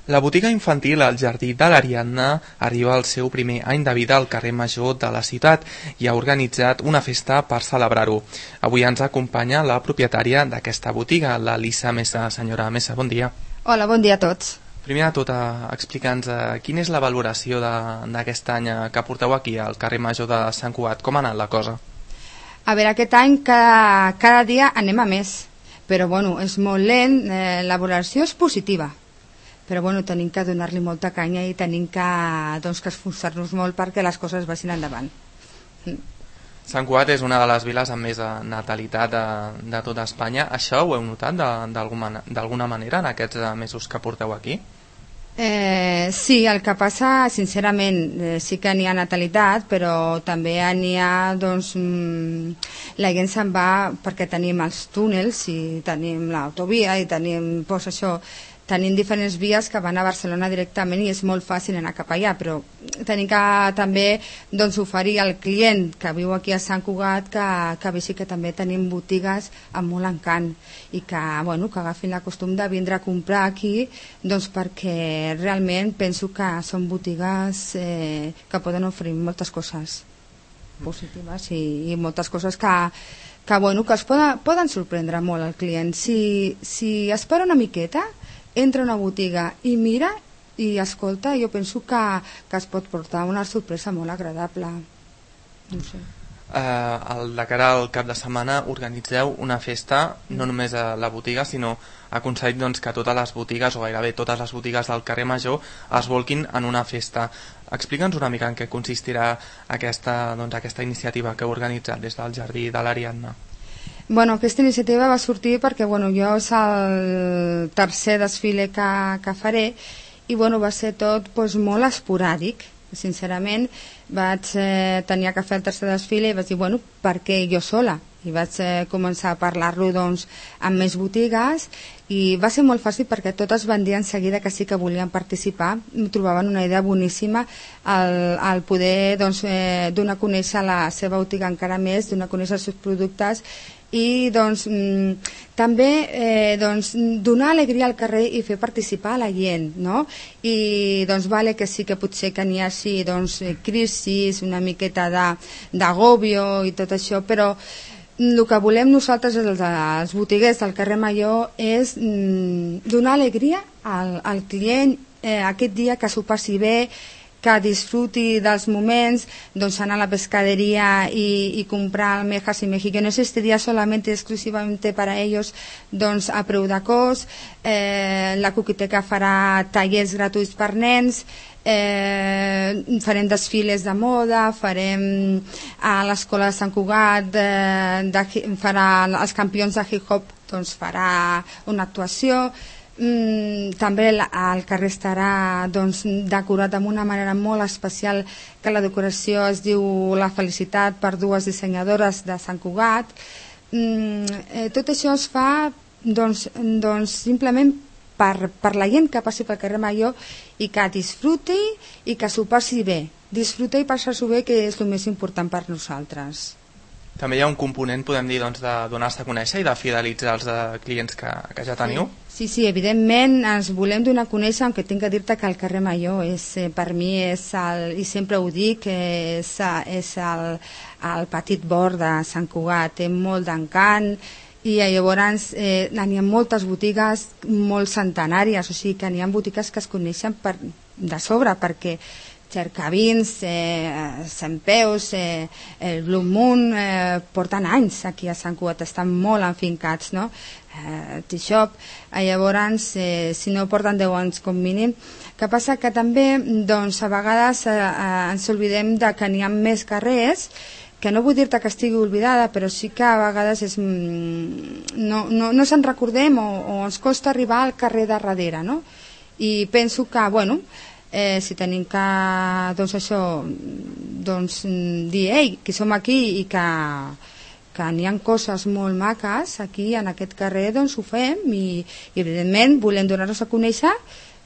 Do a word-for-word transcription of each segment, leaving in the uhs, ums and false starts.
La botiga infantil al Jardí de l'Ariadna arriba al seu primer any de vida al carrer Major de la ciutat i ha organitzat una festa per celebrar-ho. Avui ens acompanya la propietària d'aquesta botiga, la Lisa Mesa. Senyora Mesa, bon dia. Hola, bon dia a tots. Primer de tot, explica'ns quina és la valoració d'aquest any que porteu aquí al carrer Major de Sant Cugat. Com ha anat la cosa? A veure, aquest any cada, cada dia anem a més, però bueno, és molt lent, eh, la valoració és positiva. Però bueno, tenim que donar-li molta canya i tenim que, doncs, que esforçar-nos molt perquè les coses vagin endavant. Sant Cugat és una de les viles amb més natalitat de, de tota Espanya. Això ho heu notat d'alguna manera en aquests mesos que porteu aquí? Eh, sí, el que passa, sincerament, eh, sí que n'hi ha natalitat, però també n'hi ha, doncs, mmm, la gent se'n va perquè tenim els túnels i tenim l'autovia i tenim, doncs, això, tenim diferents vies que van a Barcelona directament i és molt fàcil anar cap allà, però tenim que també, doncs, oferir al client que viu aquí a Sant Cugat que, que vegi que també tenim botigues amb molt encant i que, bueno, que agafin la costum de vindre a comprar aquí, doncs, perquè realment penso que són botigues eh, que poden oferir moltes coses positives i, i moltes coses que, que, bueno, que es poden, poden sorprendre molt al client. Si, si espera una miqueta, entra a una botiga i mira i escolta, jo penso que, que es pot portar una sorpresa molt agradable. No sé. Eh, el, de cara al cap de setmana organitzeu una festa, no només a la botiga, sinó aconseguit, doncs, que totes les botigues, o gairebé totes les botigues del carrer Major, es volquin en una festa. Explica'ns una mica en què consistirà aquesta, doncs, aquesta iniciativa que heu organitzat des del Jardí de l'Ariadna. Bueno, aquesta iniciativa va sortir perquè, bueno, jo és el tercer desfile que, que faré i, bueno, va ser tot, doncs, molt esporàdic. Sincerament, vaig eh, tenir que fer el tercer desfile i vaig dir, bueno, per què jo sola? I vaig eh, començar a parlar-lo, doncs, amb més botigues i va ser molt fàcil perquè totes van dir en seguida que sí que volien participar. Em trobaven una idea boníssima el, el poder, doncs, eh, donar a conèixer la seva botiga encara més, donar a conèixer els seus productes i, doncs, mm, també eh, doncs, donar alegria al carrer i fer participar a la gent, no? I, doncs, vale que sí que potser que n'hi hagi, doncs, crisis, una miqueta d'agòbio i tot això, però el que volem nosaltres, els, els botiguers del carrer Major, és mm, donar alegria al, al client eh, aquest dia, que s'ho passi bé, que disfruti dels moments, doncs, anar a la pescadería y, y comprar almejas y mejillones este día solamente exclusivamente para ellos, doncs, a preu de cost. Eh, la Coqueteca farà tallers gratuïts per nens, eh, farem desfiles de moda, farem a l'escola de Sant Cugat, eh, de, farà els campions de hip-hop, doncs, farà una actuació. Mm, també el, el carrer estarà, doncs, decorat amb una manera molt especial, que la decoració es diu La felicitat, per dues dissenyadores de Sant Cugat. Mm, eh, tot això es fa, doncs, doncs simplement per, per la gent que passi pel carrer Major i que disfruti i que s'ho passi bé. Disfrutar i passar-s'ho bé, que és el més important per nosaltres. També hi ha un component, podem dir, doncs, de donar-se a conèixer i de fidelitzar els de clients que, que ja teniu? Sí, sí, evidentment ens volem donar a conèixer, aunque tinc que dir-te que el carrer Major és, eh, per mi és el, i sempre ho dic, és, és el, el petit bord de Sant Cugat, té molt d'encant i llavors eh, n'hi ha moltes botigues molt centenàries, o sigui que n'hi ha botigues que es coneixen per, de sobre, perquè Cercavins, eh, Centpeus, eh, el Blue Moon, eh, porten anys aquí a Sant Cugat, estan molt enfincats, no? Eh, T-Shop, eh, llavors, eh, si no porten deu anys com mínim. Que passa que també, doncs, a vegades eh, eh, ens oblidem de que n'hi ha més carrers, que no vull dir-te que estigui oblidada, però sí que a vegades és, no, no, no se'n recordem o, o ens costa arribar al carrer de darrere, no? I penso que, bueno, Eh, si tenim que, doncs, això, doncs, dir, ei, que som aquí i que, que n'hi ha coses molt maques aquí en aquest carrer, doncs ho fem i, i evidentment volem donar-nos a conèixer,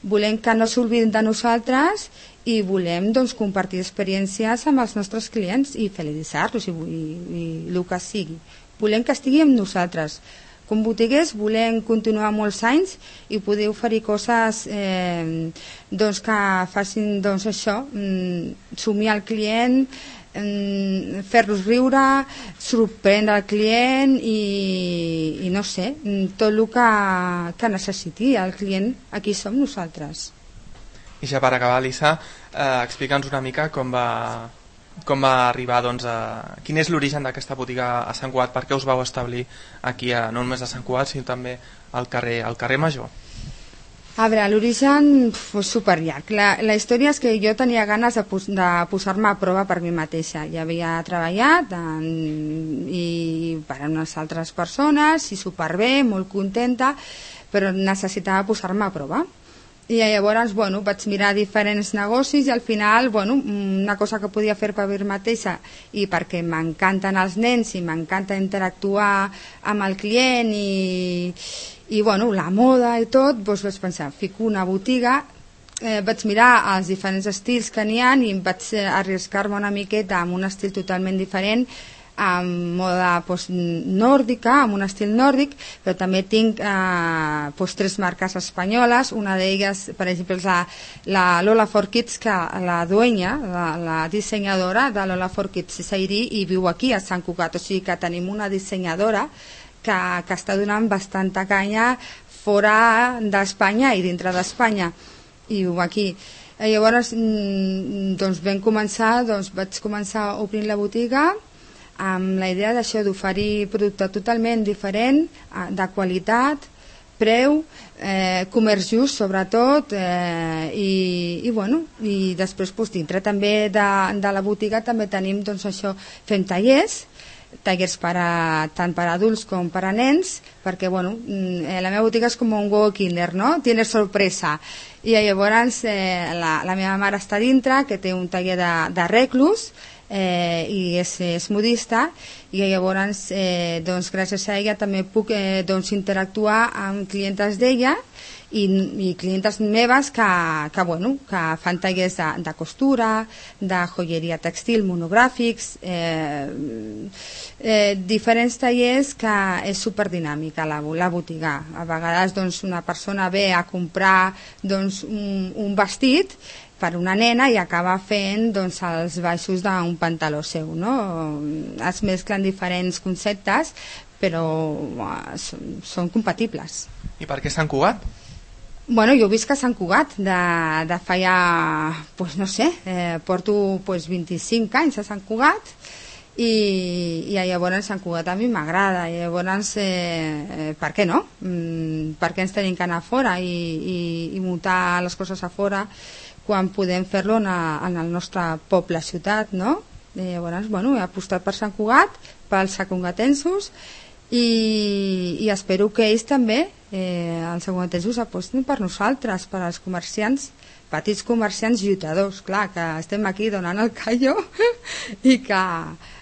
volem que no s'oblidin de nosaltres i volem, doncs, compartir experiències amb els nostres clients i felicitar-los i, i, i el que sigui. Volem que estigui amb nosaltres, com botiguers volem continuar molts anys i poder oferir coses eh, doncs que facin doncs això, somiar el client, fer-los riure, sorprendre el client i, i no sé, tot el que, que necessiti el client, aquí som nosaltres. I ja per acabar, Elisa, eh, explica'ns una mica com va, com va arribar, doncs, a... quin és l'origen d'aquesta botiga a Sant Cugat, per què us vau establir aquí, a, no només a Sant Cugat, sinó també al carrer, al carrer Major? A veure, l'origen és superllarg. La, la història és que jo tenia ganes de, pos, de posar-me a prova per mi mateixa. Ja havia treballat en, i per a unes altres persones i superbé, molt contenta, però necessitava posar-me a prova. I llavors, bueno, vaig mirar diferents negocis i al final, bueno, una cosa que podia fer per mi mateixa i perquè m'encanten els nens i m'encanta interactuar amb el client i, i bueno, la moda i tot, doncs vaig pensar, fico una botiga, eh, vaig mirar els diferents estils que n'hi ha i vaig arriscar-me una miqueta amb un estil totalment diferent, amb moda pues, nòrdica, amb un estil nòrdic, però també tinc eh, pues, tres marques espanyoles. Una d'elles, per exemple, és la, la Lola for Kids, que la dueña, la, la dissenyadora de Lola for Kids és airí i viu aquí a Sant Cugat, o sigui que tenim una dissenyadora que, que està donant bastanta canya fora d'Espanya i dintre d'Espanya i viu aquí. I llavors doncs vam començar, doncs vaig començar obrint la botiga amb la idea d'això, d'oferir producte totalment diferent, de qualitat, preu, eh, comerç just sobretot, eh, i, i bueno, i després pues, dintre també de, de la botiga també tenim doncs això, fem tallers, tallers per a, tant per a adults com per a nens, perquè bueno, eh, la meva botiga és com un huevo kinder, no? Tiene sorpresa. I llavors eh, la, la meva mare està dintre, que té un taller de, de reclus, Eh, i és, és modista i llavors eh, doncs, gràcies a ella també puc eh, doncs, interactuar amb clientes d'ella i, i clientes meves que, que, bueno, que fan tallers de, de costura, de joieria textil, monogràfics, eh, eh, diferents tallers que és superdinàmica la, la botiga. A vegades doncs, una persona ve a comprar doncs, un, un vestit per una nena i acaba fent doncs, els baixos d'un pantaló seu, no? Es mesclen diferents conceptes però uh, són, són compatibles. I per què Sant Cugat? Bueno, jo visc a Sant Cugat de, de fa ja, pues no sé, eh, porto pues, vint-i-cinc anys a Sant Cugat i, i llavors Sant Cugat a mi m'agrada i llavors eh, eh, per què no? Mm, per què ens tenim que anar a fora i, i, i muntar les coses a fora quan podem fer-lo en, en el nostre poble, ciutat, no? I llavors, bueno, he apostat per Sant Cugat, pels santcugatensos i, i espero que ells també, eh, els santcugatensos, aposten per nosaltres, per als comerciants, petits comerciants lluitadors, clar, que estem aquí donant el callo i que,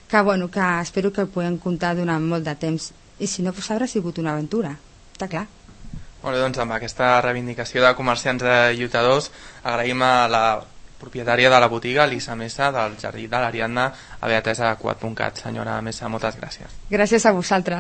que, bueno, que espero que el puguem comptar durant molt de temps. I si no, pues haurà sigut una aventura, està clar. Molt bé, doncs amb aquesta reivindicació de comerciants de lluitadors agraïm a la propietària de la botiga, Elisa Mesa, del Jardí de l'Ariadna, haver atès a Cugat punt cat. Senyora Mesa, moltes gràcies. Gràcies a vosaltres.